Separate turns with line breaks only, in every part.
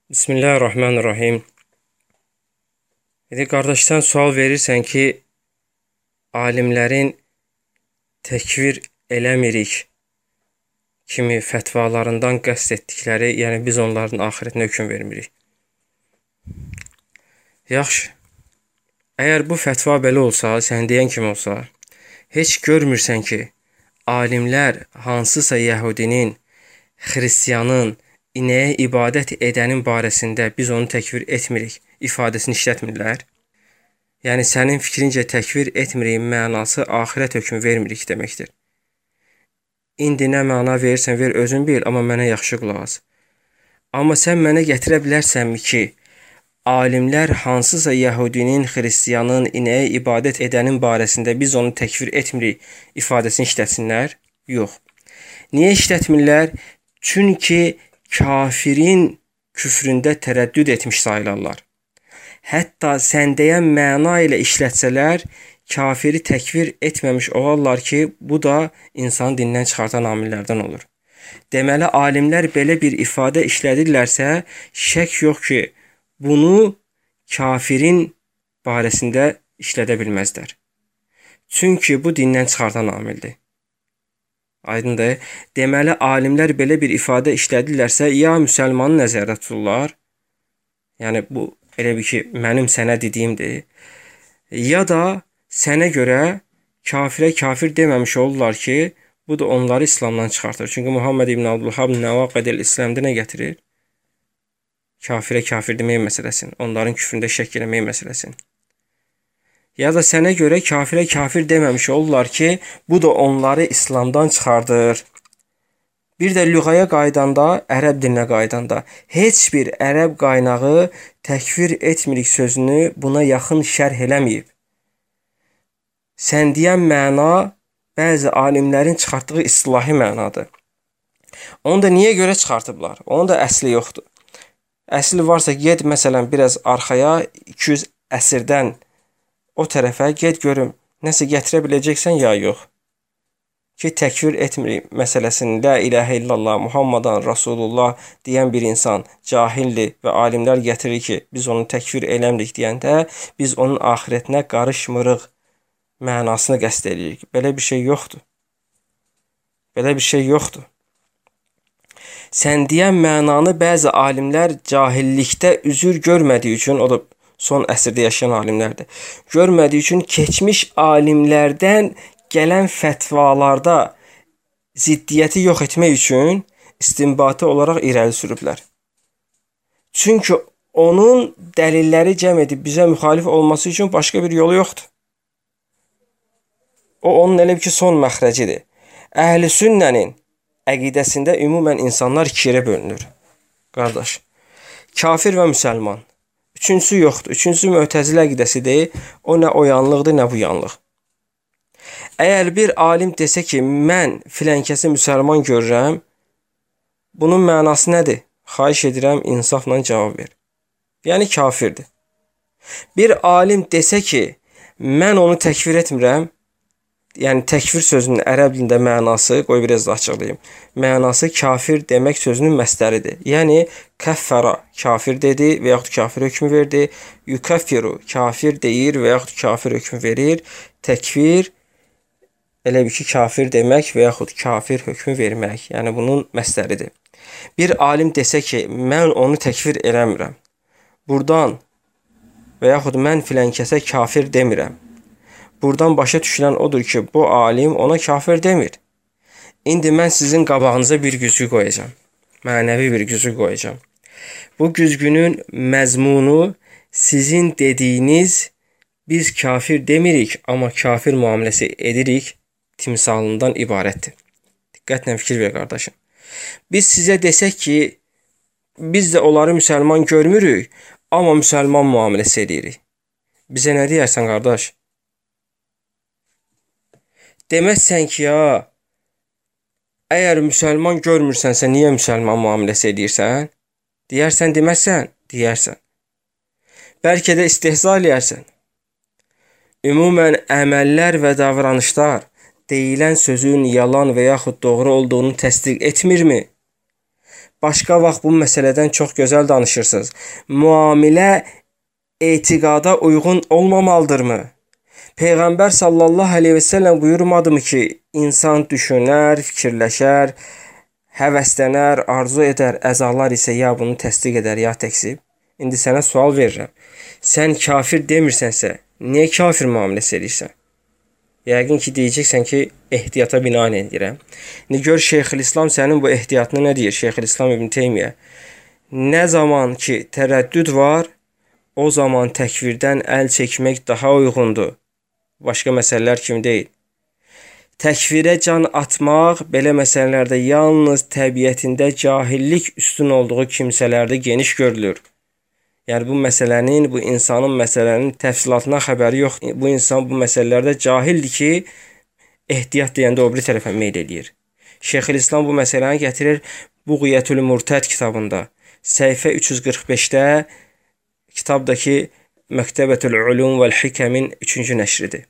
Bismillahirrahmanirrahim. Qardaşdan sual verirsən ki, alimlərin təkvir eləmirik kimi fətvalarından qəsd etdikləri, yəni biz onların axirətinə hökm vermirik. Yaxşı, əgər bu fətva belə olsa, sən deyən kimi olsa, heç görmürsən ki, alimlər hansısa yəhudinin, xristiyanın, inəyə ibadət edənin barəsində biz onu təkvir etmirik ifadəsini işlətmirlər. Yəni, sənin fikrincə təkvir etmirik mənası axirət hökmü vermirik deməkdir. İndi nə məna verirsən, ver özün bil, amma mənə yaxşı qulaq as. Amma sən mənə gətirə bilərsənmi ki, alimlər hansısa yəhudinin, xristiyanın, inəyə ibadət edənin barəsində biz onu təkvir etmirik ifadəsini işlətsinlər? Yox. Niyə işlətmirlər? Çünki kafirin küfründə tərəddüd etmiş sayılarlar. Hətta sən deyən məna ilə işlətsələr, kafiri təkvir etməmiş olarlar ki, bu da insanı dindən çıxartan amillərdən olur. Deməli, alimlər belə bir ifadə işlədirlərsə, şək yox ki, bunu kafirin barəsində işlədə bilməzlər. Çünki bu dindən çıxartan amildir. Aydındır. Deməli, alimlər belə bir ifadə işlədirlərsə, ya müsəlmanı nəzərdə tuturlar, yəni bu elə bir ki, mənim sənə dediyimdir, ya da sənə görə kafirə kafir deməmiş olurlar ki, bu da onları İslamdan çıxartır. Çünki Muhammed ibn Abdülhab Nəvaqidil İslam'da nə gətirir? Kafirə kafir demək məsələsini, onların küfründə şək eləmək məsələsini. Ya da sənə görə kafirə kafir deməmiş olurlar ki, bu da onları İslamdan çıxardır. Bir də lüğaya qaydanda, ərəb dilinə qaydanda, heç bir ərəb qaynağı təkfir etmirik sözünü buna yaxın şərh eləməyib. Sən deyən məna bəzi alimlərin çıxartdığı istilahi mənadır. Onu da niyə görə çıxartıblar? Onun da əsli yoxdur. Əsli varsa ged məsələn biraz arxaya 200 əsrdən o tərəfə get görüm, nəsə gətirə biləcəksən ya yox. Ki, təkvir etmirik məsələsini, la ilahə illallah, Muhammadan Rasulullah deyən bir insan cahildir və alimlər gətirir ki, biz onu təkvir eləmirik deyəndə, biz onun axirətinə qarışmırıq mənasını qəsd edirik. Belə bir şey yoxdur. Belə bir şey yoxdur. Sən deyən mənanı bəzi alimlər cahillikdə üzür görmədiyi üçün, o da son əsrdə yaşayan alimlərdir. Görmədiyi üçün keçmiş alimlərdən gələn fətvalarda ziddiyyəti yox etmək üçün istinbati olaraq irəli sürüblər. Çünki onun dəlilləri cəm edib bizə müxalif olması üçün başqa bir yolu yoxdur. O, onun elə ki, son məxrəcidir. Əhl-i sünnənin əqidəsində ümumən insanlar ikiyə bölünür. Qardaş, kafir və müsəlman. Üçüncüsü yoxdur. Üçüncüsü Mötəzilə əqidəsidir. O nə o yanlıqdır, nə bu yanlıq. Əgər bir alim desə ki, mən filənkəsi müsəlman görürəm, bunun mənası nədir? Xahiş edirəm, insafla cavab ver. Yəni kafirdir. Bir alim desə ki, mən onu təkfir etmirəm, yəni təkfir sözünün ərəb dilində mənası, qoy biraz da açıqlayım. Mənası kafir demək sözünün məsdəridir. Yəni kəffəra kafir dedi və yaxud kafir hökmü verdi. Yukaffiru kafir deyir və yaxud kafir hökmü verir. Təkfir elə bir ki, kafir demək və yaxud kafir hökmü vermək. Yəni bunun məsdəridir. Bir alim desə ki, mən onu təkfir eləmirəm. Burdan və yaxud mən filənkəsə kafir demirəm. Buradan başa düşülən odur ki, bu alim ona kafir demir. İndi mən sizin qabağınıza bir güzgü qoyacağam. Mənəvi bir güzgü qoyacağam. Bu güzgünün məzmunu sizin dediyiniz biz kafir demirik, amma kafir müamiləsi edirik timsalından ibarətdir. Diqqətlə fikir ver, qardaşım. Biz sizə desək ki, biz də onları müsəlman görmürük, amma müsəlman müamiləsi edirik. Bizə nə deyərsən, qardaş? Deməzsən ki, ya, əgər müsəlman görmürsənsə, niyə müsəlman müamiləsi edirsən? Deyərsən, deməzsən? Deyərsən. Bəlkə də istehza eləyərsən. Ümumən, əməllər və davranışlar deyilən sözün yalan və yaxud doğru olduğunu təsdiq etmirmi? başqa vaxt bu məsələdən çox gözəl danışırsınız. Müamilə etiqada uyğun olmamalıdırmı? Peyğəmbər sallallahu əleyhi və səlləm buyurmadımı ki, insan düşünər, fikirləşər, həvəslənər, arzu edər, əzalar isə ya bunu təsdiq edər, ya təksib. İndi sənə sual verirəm. Sən kafir demirsənsə, niyə kafir müamiləsi edirsən? Yəqin ki, deyəcəksən ki, ehtiyata binaən edirəm. İndi gör Şeyxülislam sənin bu ehtiyatını nə deyir? Şeyxülislam İbn Teymiyyə. Nə zaman ki, tərəddüd var, o zaman təkvirdən əl çəkmək daha uyğundur. Başqa məsələlər kimi deyil. Təkvirə can atmaq belə məsələlərdə yalnız təbiətində cahillik üstün olduğu kimsələrdə geniş görülür. Yəni bu məsələnin, bu insanın məsələnin təfsilatına xəbəri yox. Bu insan bu məsələlərdə cahildir ki, ehtiyat deyəndə o biri tərəfə meyl eləyir. Şeyxülislam bu məsələni gətirir Buğyətül Murtəd kitabında. Səhifə 345-də kitabdakı Məktəbətül Ulum vəl Hikəmin 3-cü nəşridir.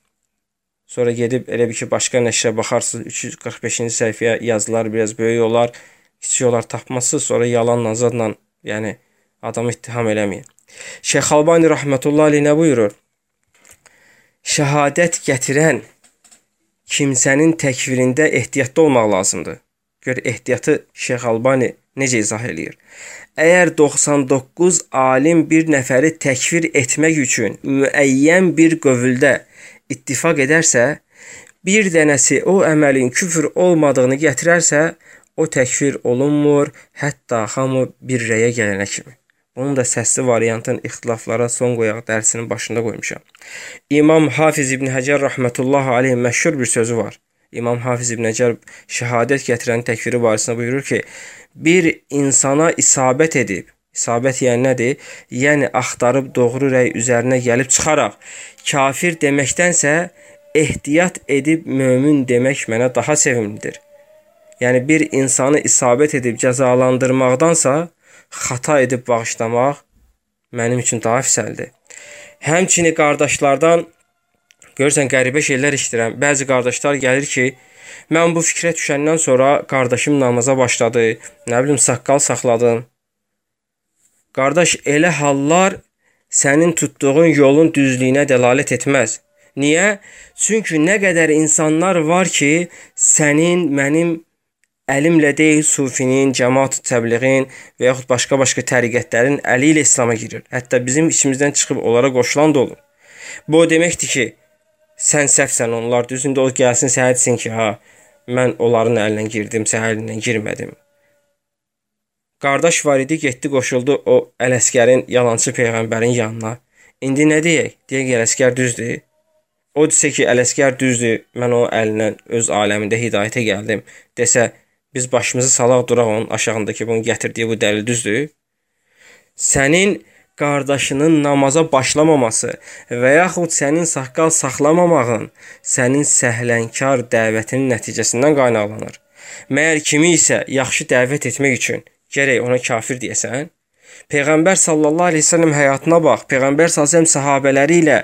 Sonra gedib elə bir ki, başqa nəşrə baxarsınız, 345-ci səhifəyə yazılar biraz böyük olar, kiçik olar tapmazsınız, sonra yalanla, zadla, yəni adamı ittiham eləməyin. Şeyx Albani rəhmətullah aleyh nə buyurur? Şəhadət gətirən kimsənin təkvirində ehtiyatlı olmaq lazımdır. Gör, ehtiyatı Şeyx Albani necə izah eləyir? Əgər 99 alim bir nəfəri təkfir etmək üçün müəyyən bir qövüldə ittifaq edərsə, bir dənəsi o əməlin küfr olmadığını gətirərsə, o təkfir olunmur, hətta hamı bir rəyə gələnə kimi. Bunun da səsli variantın ixtilaflara son qoyaq dərsinin başında qoymuşam. İmam Hafiz İbn Həcər rəhmətullahi aleyh məşhur bir sözü var. İmam Hafiz İbn Həcər şəhadət gətirən təkfiri barəsində buyurur ki, bir insana isabət edib, isabət yəni nədir? Yəni axtarıb doğru rəy üzərinə gəlib çıxaraq kafir deməkdənsə ehtiyat edib mömin demək mənə daha sevimlidir. Yəni bir insanı isabət edib cəzalandırmaqdansa xata edib bağışlamaq mənim üçün daha əfsəldir. Həmçinin qardaşlardan görürsən qəribə şeylər eşidirəm. Bəzi qardaşlar gəlir ki, mən bu fikrə düşəndən sonra qardaşım namaza başladı, nə bilim saqqal saxladım. Qardaş, elə hallar sənin tutduğun yolun düzlüyünə dəlalət etməz. Niyə? Çünki nə qədər insanlar var ki, sənin, mənim əlimlə deyil, sufinin, cəmaat-ı təbliğin və yaxud başqa-başqa təriqətlərin əli ilə İslama girir. Hətta bizim içimizdən çıxıb onlara qoşulan da olur. Bu o deməkdir ki, sən səhvsən, onlar düzündə o gəlsin, sənə desin ki, mən onların əlinə girdim, sənə əlindən girmədim. Qardaş var idi, getdi, qoşuldu o Ələsgərin, yalançı peyğəmbərin yanına. İndi nə deyək? Deyək, Ələsgər düzdür. O desə ki, Ələsgər düzdür, mən o əlindən öz aləmində hidayətə gəldim. Desə, biz başımızı salaq duraq onun aşağındakı bunu gətirdiyi bu dəlil düzdür. Sənin qardaşının namaza başlamaması və yaxud sənin saqqal saxlamamağın sənin səhlənkar dəvətinin nəticəsindən qaynaqlanır. Məyər kimi isə yaxşı dəvət etmək üçün gərək ona kafir deyəsən? Peyğəmbər sallallahu əleyhi və səlləm həyatına bax. Peyğəmbər sallallahu əleyhi və səlləm səhabələri ilə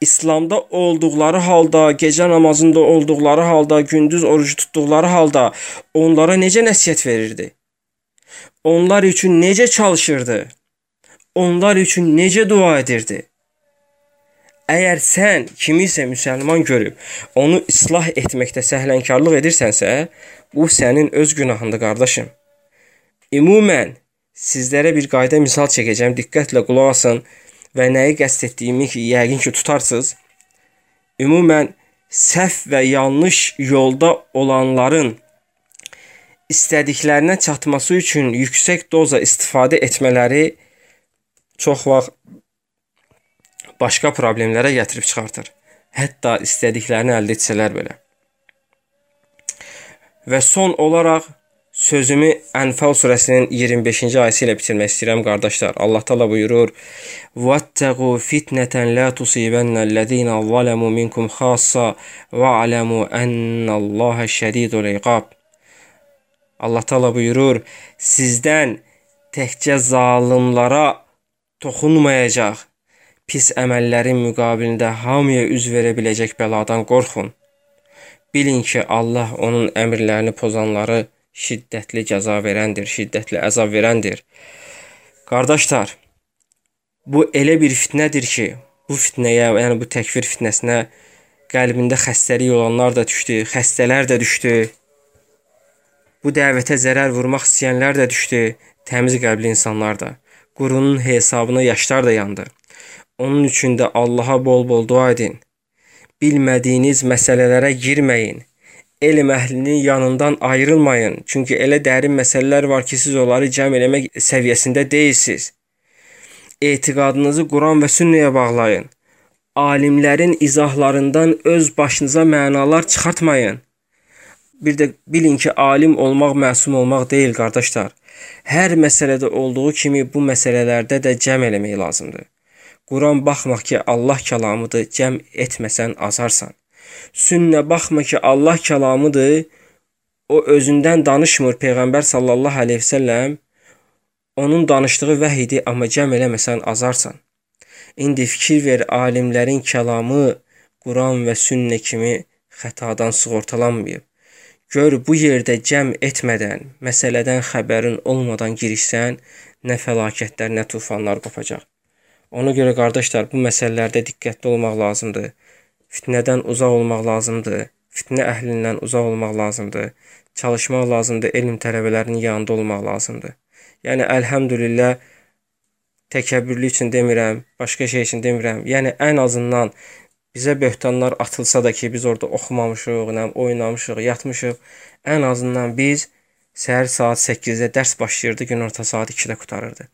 İslamda olduqları halda, gecə namazında olduqları halda, gündüz orucu tutduqları halda onlara necə nəsihət verirdi? Onlar üçün necə çalışırdı? Onlar üçün necə dua edirdi? Əgər sən kimisə müsəlman görüb onu islah etməkdə səhlənkarlıq edirsənsə, bu sənin öz günahındır, qardaşım. Ümumən sizlərə bir qayda misal çəkəcəm, diqqətlə qulaq asın və nəyi qəsd etdiyimi ki, yəqin ki, tutarsınız. Ümumən səhv və yanlış yolda olanların istədiklərinə çatması üçün yüksək doza istifadə etmələri çox vaxt başqa problemlərə gətirib çıxartır. Hətta istədiklərini əldə etsələr belə. Və son olaraq sözümü Ənfal surəsinin 25-ci ayəsi ilə bitirmək istəyirəm, qardaşlar. Allah Taala buyurur: "Vattaqu fitneten la tusibennellezina zalamu minkum xassa və alamu ennallaha şədidul iqab." Allah Taala buyurur: "Sizdən təkcə zalımlara toxunmayacaq pis əməllərin müqabilində hamıya üz verə biləcək bəladan qorxun. Bilin ki, Allah onun əmrlərini pozanları şiddətli cəza verəndir, şiddətli əzab verəndir. Qardaşlar, bu elə bir fitnədir ki, bu fitnəyə, yəni bu təkfir fitnəsinə qəlbində xəstəlik olanlar da düşdü, xəstələr də düşdü. Bu dəvətə zərər vurmaq istəyənlər də düşdü, təmiz qəlbli insanlar da. Qurunun hesabına yaşlar da yandı. Onun üçün də Allaha bol-bol dua edin. Bilmədiyiniz məsələlərə girməyin. Elm əhlinin yanından ayrılmayın. Çünki elə dərin məsələlər var ki, siz onları cəm eləmək səviyyəsində deyilsiniz. Etiqadınızı Quran və sünnəyə bağlayın. Alimlərin izahlarından öz başınıza mənalar çıxartmayın. Bir də bilin ki, alim olmaq məsum olmaq deyil, qardaşlar. Hər məsələdə olduğu kimi bu məsələlərdə də cəm eləmək lazımdır. Quran baxmaq ki, Allah kəlamıdır, cəm etməsən azarsan. Sünnə baxma ki, Allah kəlamıdır, o özündən danışmır. Peyğəmbər sallallahu aleyhi və səlləm onun danışdığı vəhidir, amma cəm eləməsən azarsan. İndi fikir ver, alimlərin kəlamı Quran və sünnə kimi xətadan sığortalanmayıb. Gör, bu yerdə cəm etmədən, məsələdən xəbərin olmadan girişsən, nə fəlakətlər, nə tufanlar qopacaq. Ona görə qardaşlar, bu məsələlərdə diqqətli olmaq lazımdır. Fitnədən uzaq olmaq lazımdır. Fitnə əhlindən uzaq olmaq lazımdır. Çalışmaq lazımdır, elm tələbələrinin yanında olmaq lazımdır. Yəni, əlhəmdülillah, təkəbbürlü üçün demirəm, başqa şey üçün demirəm. Yəni, ən azından bizə böhtanlar atılsa da ki, biz orada oxumamışıq, oynamışıq, yatmışıq. Ən azından biz səhər saat 8-də dərs başlayırdı, günorta saat 2-də qutarırdı.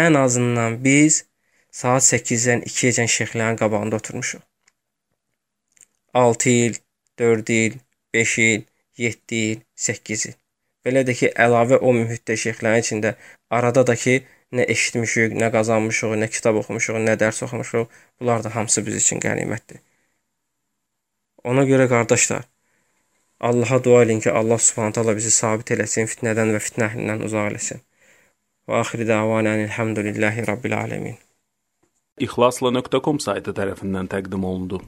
Ən azından biz saat 8-dən 2-əcən şeyxlərin qabağında oturmuşuq. 6 il, 4 il, 5 il, 7 il, 8 il. Belə də ki, əlavə o mühitdə şeyxlərin içində arada da ki, nə eşitmişik, nə qazanmışıq, nə kitab oxumuşuq, nə dərs oxumuşuq. Bunlar da hamısı biz üçün qənimətdir. Ona görə qardaşlar, Allaha dua edin ki, Allah Subhanahu taala bizi sabit eləsin, fitnədən və fitnə əhlindən uzaq eləsin. Və axiri da'vanan elhamdülillahi rabbil alamin.
İxlasla.com saytı tərəfindən təqdim olundu.